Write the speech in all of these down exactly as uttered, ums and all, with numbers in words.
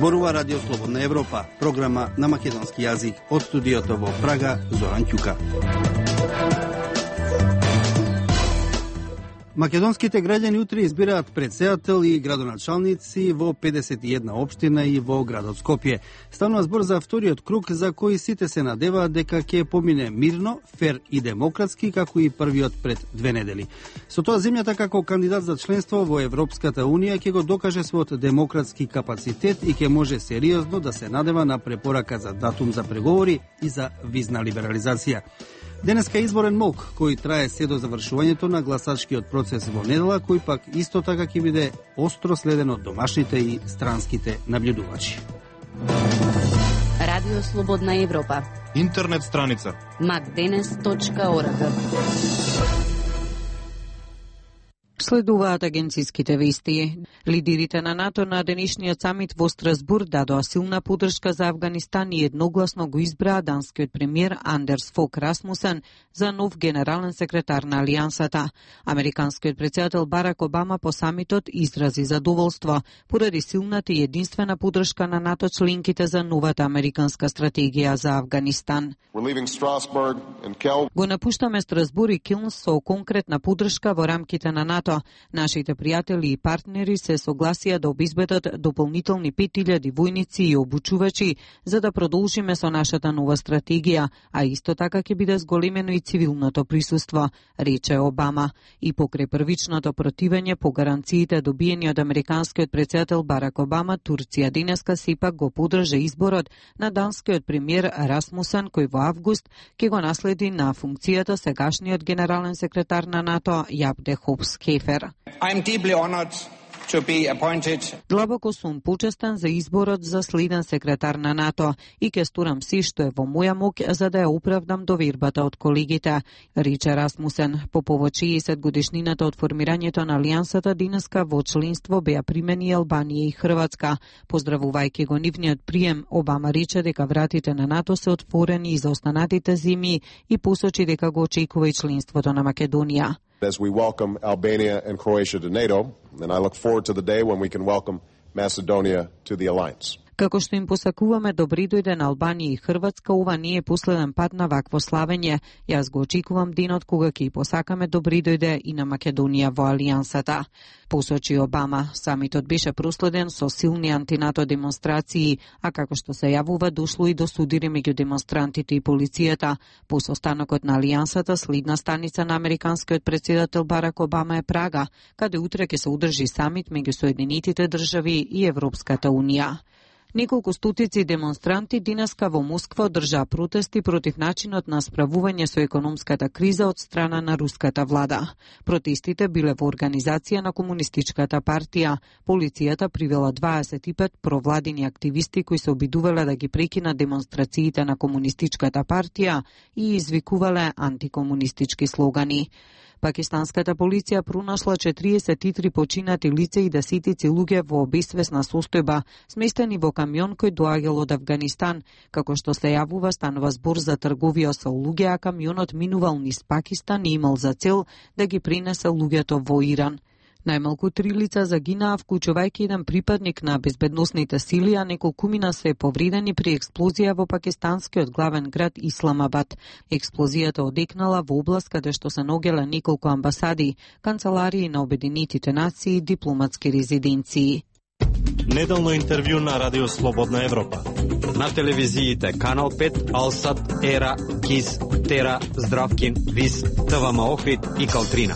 Зборува Радио Слободна Европа, програма на македонски јазик од студиото во Прага, Зоран Ќука. Македонските граѓани утре избираат претседател и градоначалници во педесет и една општина и во градот Скопје. Станува збор за вториот круг за кој сите се надеваат дека ќе помине мирно, фер и демократски, како и првиот пред две недели. Со тоа земјата како кандидат за членство во Европската Унија ќе го докаже својот демократски капацитет и ќе може сериозно да се надева на препорака за датум за преговори и за визна либерализација. Денеска е изборен молк кој трае се до завршувањето на гласачкиот процес во недела, кој пак исто така ќе биде остро следен од домашните и странските наблюдувачи. Радио Слободна Европа. Интернет страница макденес точка орг. Следуваат агенциските вести. Лидерите на НАТО на денешниот самит во Страсбург дадоа силна поддршка за Авганистан и едногласно го избраа данскиот премиер Андерс Фог Расмусен за нов генерален секретар на Алијансата. Американскиот претседател Барак Обама по самитот изрази задоволство поради силната и единствена поддршка на НАТО членките за новата американска стратегија за Авганистан. Го напуштаме Страсбург и Килн со конкретна поддршка во рамките на НАТО. Нашите пријатели и партнери се согласија да обезбедат дополнителни пет илјади војници и обучувачи за да продолжиме со нашата нова стратегија, а исто така ќе биде зголемено и цивилното присуство, рече Обама. И покрај првичното противење по гаранциите добиени од американскиот претседател Барак Обама, Турција денеска сепак го поддржа изборот на данскиот премиер Расмусен, кој во август ќе го наследи на функцијата сегашниот генерален секретар на НАТО Јаб де Хопс Кефер. I am deeply honored to be appointed. Длабоко сум почестен за изборот за следен секретар на НАТО и ќе сторам се што е во моја моќ за да ја оправдам довербата од колегите, рече Расмусен. По повод шеесет годишнината од формирањето на Алијансата, денеска во членство беа примени Албанија и Хрватска. Поздравувајќи го нивниот прием, Обама рече дека вратите на НАТО се отворени и за останатите земји и посочи дека го очекува и членството на Македонија. As we welcome Albania and Croatia to NATO, and I look forward to the day when we can welcome Macedonia to the alliance. Како што им посакуваме добри дојде на Албанија и Хрватска, ова не е последен пат на вакво славење. Јас го очекувам денот кога ќе посакаме добри дојде и на Македонија во Алијансата, посочи Обама. Самитот беше проследен со силни антинато демонстрации, а како што се јавува дошло и до судири меѓу демонстрантите и полицијата. По состанокот на Алијансата, следна станица на американскиот претседател Барак Обама е Прага, каде утре ќе се одржи самит меѓу Соединетите држави и Европската Унија. Неколку стотици демонстранти денеска во Москва одржаа протести против начинот на справување со економската криза од страна на руската влада. Протестите биле во организација на Комунистичката партија. Полицијата привела дваесет и пет провладини активисти кои се обидувале да ги прекинат демонстрациите на Комунистичката партија и извикувале антикомунистички слогани. Пакистанската полиција пронашла четириесет и три починати лица и десетици луѓе во безсвесна состојба, сместени во камион кој доаѓал од Авганистан. Како што се јавува, станува збор за трговија со луѓе, а камионот минувал низ Пакистан и имал за цел да ги пренесе луѓето во Иран. Најмалку три лица загинаа, вклучувајќи еден припадник на безбедносните сили, а неколкумина се повредени при експлозија во пакистанскиот главен град Исламабад. Експлозијата одекнала во област каде што се наоѓале неколку амбасади, канцеларии на Обединетите нации и дипломатски резиденции. Неделно интервју на Радио Слободна Европа. На телевизиите Канал пет, Алсат, Ера, Кис, Тера, Здравкин, Вис, ТВМ Охрид и Калтрина.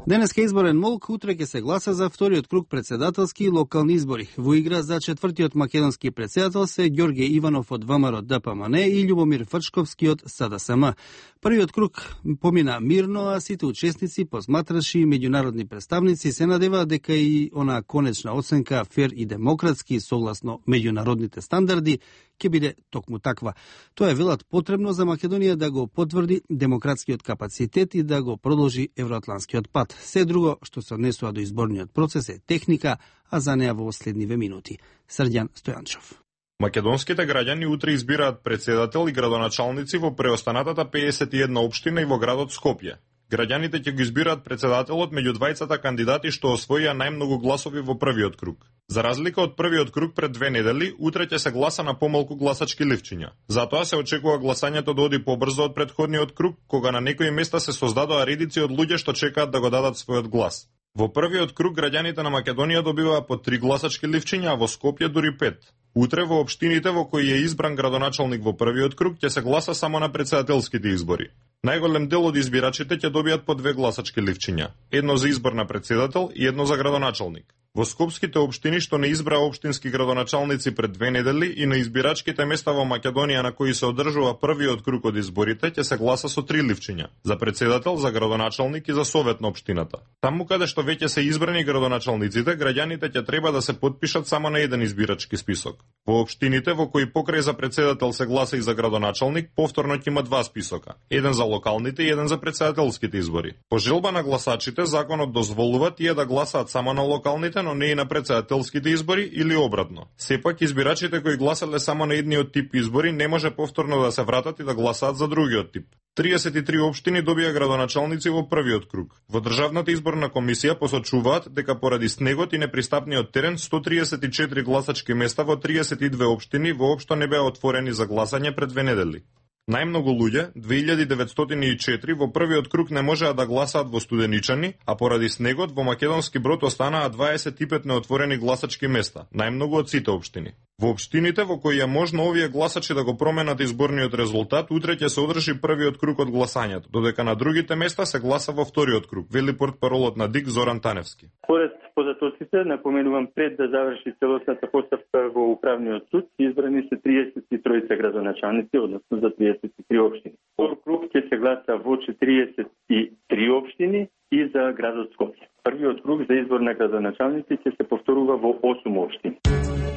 Денеска изборен молк, утре ќе се гласа за вториот круг претседателски и локални избори. Во игра за четвртиот македонски претседател се Ѓорѓе Иванов од ВМРО Д П М Н и Љубомир Фрчковски од С Д С М. Првиот круг помина мирно, а сите учесници, посматраши и меѓународни представници се надеваат дека и она конечна оценка фер и демократски согласно меѓународните стандарди ќе биде токму таква. Тоа е велат потребно за Македонија да го потврди демократскиот капацитет и да го продолжи евроатланскиот пат. Се друго што се однесува до изборниот процес е техника, а за неа во следниве минути. Срđan Стојанчов. Македонските граѓани утре избираат претседател и градоначалници во преостанатата педесет и една општина и во градот Скопје. Граѓаните ќе го избираат председателот меѓу двајцата кандидати што освоија најмногу гласови во првиот круг. За разлика од првиот круг пред две недели, утре ќе се гласа на помалку гласачки ливчиња. Затоа се очекува гласањето да оди побрзо од претходниот круг, кога на некои места се создадоа редици од луѓе што чекаат да го дадат својот глас. Во првиот круг граѓаните на Македонија добиваа по три гласачки ливчиња, а во Скопје дури пет. Утре во општините во кои е избран градоначалник во првиот круг ќе се гласа само на председателските избори. Најголем дел од избирачите ќе добијат по две гласачки ливчиња, едно за избор на председател и едно за градоначалник. Во скопските општини што не избраа општински градоначалници пред две недели и на избирачките места во Македонија на кои се одржува првиот круг од изборите ќе се гласа со три ливчиња, за председател, за градоначалник и за совет на општината. Таму каде што веќе се избрани градоначалниците, граѓаните ќе треба да се потпишат само на еден избирачки список. Во општините во кои покрај за председател се гласа и за градоначалник, повторно ќе има два списока, еден за локалните и еден за председателските избори. По желба на гласачите, законот дозволува тие да гласаат само на локалните, но не и на председателските избори или обратно. Сепак, избирачите кои гласале само на едниот тип избори не може повторно да се вратат и да гласаат за другиот тип. триесет и три општини добија градоначалници во првиот круг. Во Државната изборна комисија посочуваат дека поради снегот и непристапниот терен сто триесет и четири гласачки места во триесет и две општини воопшто не беа отворени за гласање пред две недели. Најмногу луѓе, две илјади деветстотини и четири, во првиот круг не можеа да гласаат во Студеничани, а поради снегот во Македонски Брод останаа дваесет и пет неотворени гласачки места, најмногу од сите општини. Во општините во кои е можно овие гласачи да го променат изборниот резултат, утре ќе се одржи првиот круг од гласањето, додека на другите места се гласа во вториот круг, вели портпаролот на ДИК Зоран Таневски. Според податоците, напоменувам, пред да заврши целосната поставка во управниот суд, избрани се триесет и три градоначалници, односно за триесет и три општини. Втор круг ќе се гласа во четириесет и три општини и за градот Скопје. Првиот круг за избор на градоначалници ќе се повторува во осум општини.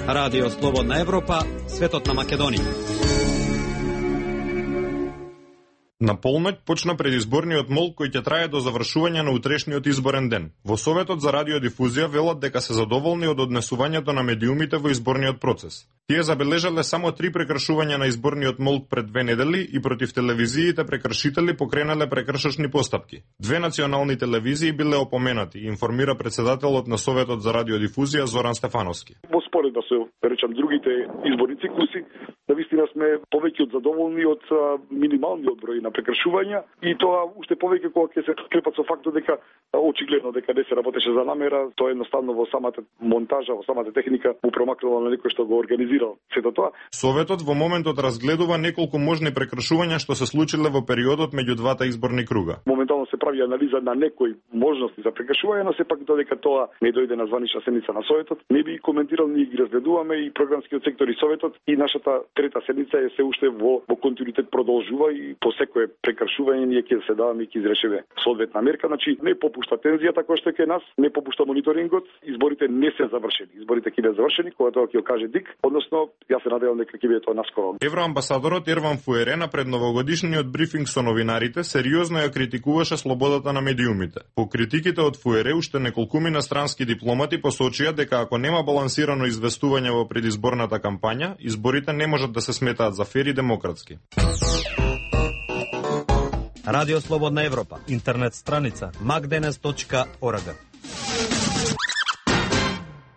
Радио Слободна Европа, светот на Македонија. На полноќ почна предизборниот мол кој ќе трае до завршување на утрешниот изборен ден. Во Советот за радиодифузија велат дека се задоволни од однесувањето на медиумите во изборниот процес. Тие забележале само три прекршувања на изборниот молк пред две недели и против телевизиите прекршители покренале прекршочни постапки. Две национални телевизии биле опоменати, информира председателот на Советот за радиодифузија Зоран Стефановски. Во споредба со, речам, другите изборни циклуси, навистина сме повеќе од задоволни од минималниот број на прекршувања и тоа уште повеќе кога ќе се подкрепат со фактот дека очигледно дека не се работеше за намера, тоа едноставно во самата монтажа, во самата техника му промакнало на некој што го организирал сето тоа. Советот во моментот разгледува неколку можни прекршувања што се случиле во периодот меѓу двата изборни круга. Моментално се прави анализа на некои можности за прекршување, но сепак додека тоа не дојде на званична седница на Советот, не би коментирал, ние ги разгледуваме и програмскиот сектор и Советот и нашата трета седница е се уште во, во континуитет продолжува и по секое прекршување ние ќе се даваме и ќе изрешиме соодветна мерка, значи не попушта тензијата која што е кај нас, не попушта мониторингот, изборите не се завршени. Изборите ќе бидат завршени кога тоа ќе каже ДИК, односно јас се надевам дека ќе биде тоа наскоро. Евроамбасадорот Ерван Фуере на предновогодишниот брифинг со новинарите сериозно ја критикуваше слободата на медиумите. По критиките од Фуере уште неколкумина странски дипломати посочија дека ако нема балансирано известување во предизборната кампања, изборите не можат да се сметаат за фер и демократски. Радио Слободна Европа, интернет страница макденес точка орг.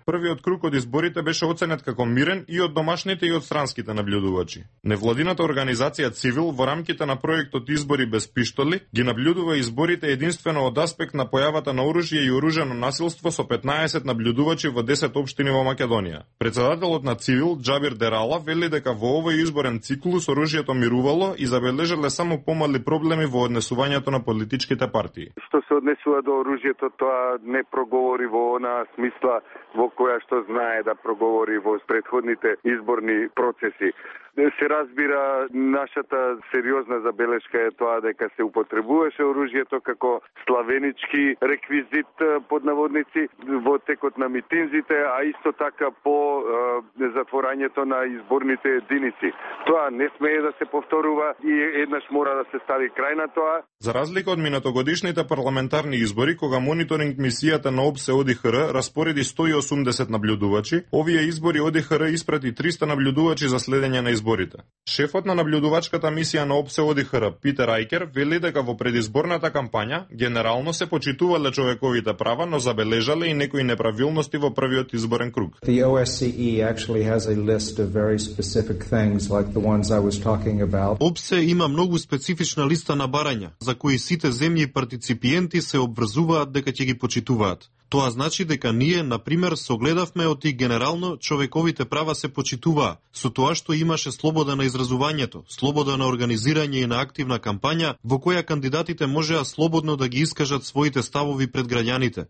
Првиот круг од изборите беше оценет како мирен и од домашните и од странските наблюдувачи. Невладината организација Цивил во рамките на проектот Избори без пиштоли ги наблюдува изборите единствено од аспект на појавата на оружје и оружено насилство со петнаесет наблюдувачи во десет општини во Македонија. Председателот на Цивил Џабир Дерала вели дека во овој изборен циклус оружјето мирувало и забележале само помали проблеми во однесувањето на политичките партии. Што се однесува до оружјето, тоа не проговори во она смисла во која што знае да проговори во предходните изборни процеси. Се разбира, нашата сериозна забелешка е тоа дека се употребуваше оружјето како славенички реквизит под наводници во текот на митинзите, а исто така по е, затворањето на изборните единици. Тоа не смее да се повторува и еднаш мора да се стави крај на тоа. За разлика од минатогодишните парламентарни избори, кога мониторинг мисијата на ОБСЕ ОДИХР распореди сто и осумдесет наблюдувачи, овие избори ОДИХР испрати триста наблюдувачи за следење на изборите. изборите. Шефот на наблюдувачката мисија на ОПСЕ О Д Х Р Питер Ајкер вели дека во предизборната кампања генерално се почитувале човековите права, но забележале и некои неправилности во првиот изборен круг. The O S C E actually has a list of very specific things like the ones I was talking about. ОПСЕ има многу специфична листа на барања за кои сите земји и партиципиенти се обврзуваат дека ќе ги почитуваат. Тоа значи дека ние, например, согледавме оти генерално човековите права се почитуваа, со тоа што имаше слобода на изразувањето, слобода на организирање и на активна кампања, во која кандидатите можеа слободно да ги искажат своите ставови пред граѓаните.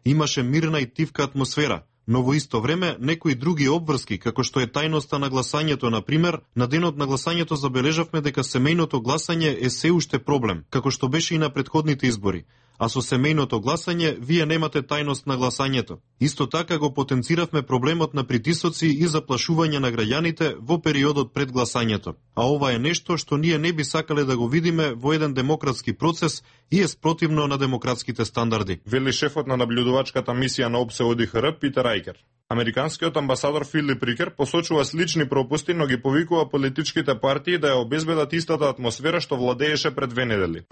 Имаше мирна и тивка атмосфера, но во исто време некои други обврски, како што е тајноста на гласањето, например, на денот на гласањето забележавме дека семејното гласање е се уште проблем, како што беше и на претходните избори. А со семејното гласање, вие немате тајност на гласањето. Исто така го потенциравме проблемот на притисоци и заплашување на граѓаните во периодот пред гласањето. А ова е нешто што ние не би сакале да го видиме во еден демократски процес и е спротивно на демократските стандарди. Вели шефот на наблюдувачката мисија на ОПСЕ О Д Х Р Питер Ајкер. Американскиот амбасадор Филип Рикер посочува слични пропусти, но ги повикува политичките партии да ја обезбедат истата атмосфера што владееше пред две недели.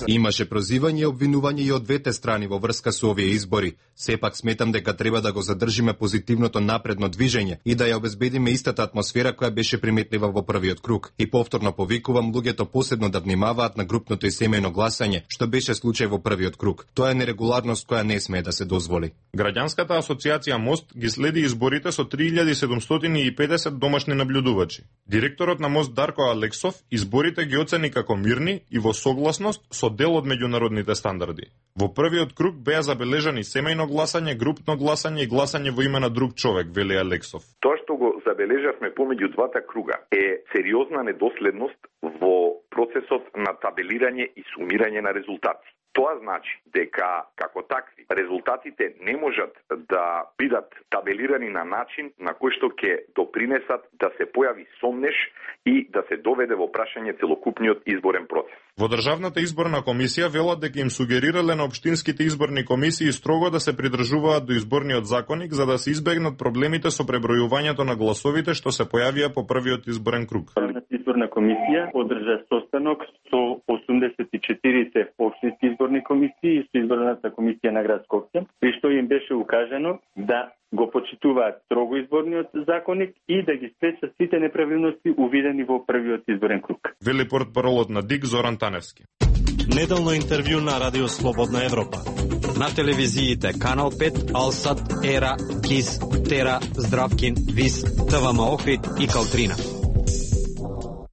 Имаше прозивање и обвинување и од двете страни во врска со овие избори. Сепак сметам дека треба да го задржиме позитивното напредно движење и да ја обезбедиме истата атмосфера која беше приметлива во првиот круг. И повторно повикувам луѓето посебно да внимаваат на групното и семејно гласање, што беше случај во првиот круг. Тоа е нерегуларност која не смее да се дозволи. Граѓанската асоциација Мост ги следи изборите со три илјади седумстотини и педесет домашни наблюдувачи. Директорот на Мост Дарко Алексов изборите ги оцени како мирни и во согласност со дел од меѓународните стандарди. Во првиот круг беа забележани семејно гласање, групно гласање и гласање во име на друг човек, вели Алексов. Тоа што го забележавме помеѓу двата круга е сериозна недоследност во процесот на табелирање и сумирање на резултати. Тоа значи дека, како такви, резултатите не можат да бидат табелирани на начин на кој што ќе допринесат да се појави сомнеш и да се доведе во прашање целокупниот изборен процес. Во Државната изборна комисија велат дека им сугерирале на општинските изборни комисии строго да се придржуваат до изборниот законник за да се избегнат проблемите со пребројувањето на гласовите што се појавија по првиот изборен круг. Државната изборна комисија одржа состанок со осумдесет и четирите општински изборни комисии и со изборната комисија на град Скопје, при што им беше укажано да го почитуваат строго изборниот законник и да ги спречат сите неправилности увидени во првиот изборен круг. Вели портпаролот на ДИК Зоран Таневски. Неделно интервју на Радио Слободна Европа. На телевизиите Канал пет, Алсат, Ера, Кис, Тера, Здравкин, Вис, ТВМ Охрид и Калтрина.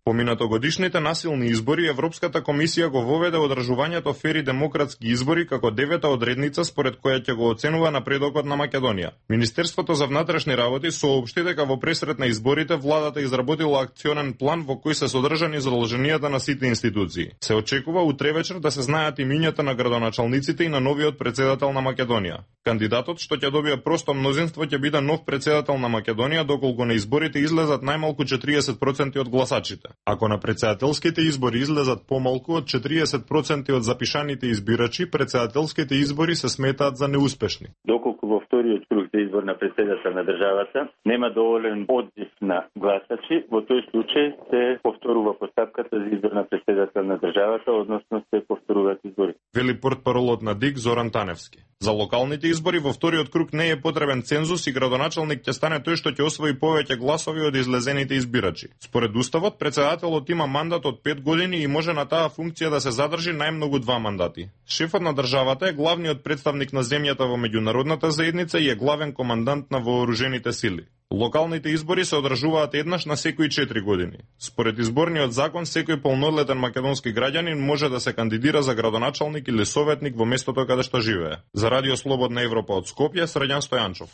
По минатогодишните насилни избори, Европската комисија го воведе одржувањето фери демократски избори како девета одредница според која ќе го оценува напредокот на Македонија. Министерството за внатрешни работи соопшти дека во пресрет на изборите владата изработила акционен план во кој се содржани задолженијата на сите институции. Се очекува утре вечер да се знаат имињата на градоначалниците и на новиот претседател на Македонија. Кандидатот што ќе добие просто мнозинство ќе биде нов претседател на Македонија доколку на изборите излезат најмалку четириесет проценти од гласачите. Ако на претседателските избори излезат помалку од четириесет проценти од запишаните избирачи, претседателските избори се сметаат за неуспешни. Доколку во вториот круг за избор на претседател на државата нема доволен одзив на гласачи, во тој случај се повторува постапката за избор на претседател на државата, односно се повторуваат избори. Вели портпаролот на ДИК Зоран Таневски. За локалните избори во вториот круг не е потребен цензус и градоначалник ќе стане тој што ќе освои повеќе гласови од излезените избирачи. Според уставот, претседателот има мандат од пет години и може на таа функција да се задржи најмногу два мандати. Шефот на државата е главниот представник на земјата во меѓународната заедница и е главен командант на вооружените сили. Локалните избори се одржуваат еднаш на секои четири години. Според изборниот закон, секој полнолетен македонски граѓанин може да се кандидира за градоначалник или советник во местото каде што живее. За Радио Слободна Европа од Скопје, Средјан Стојанчов.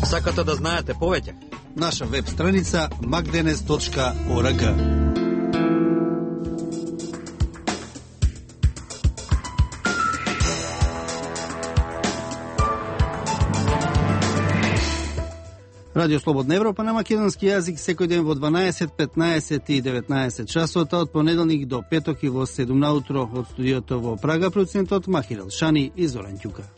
Сакате да знаете повеќе? Наша веб страница макденес точка орг. Радио Слободна Европа на македонски јазик секој ден во дванаесет, петнаесет и деветнаесет часота од понеделник до петок и во седум наутро од студиото во Прага, продуцентот Махир Елшани и Зоран Ќука.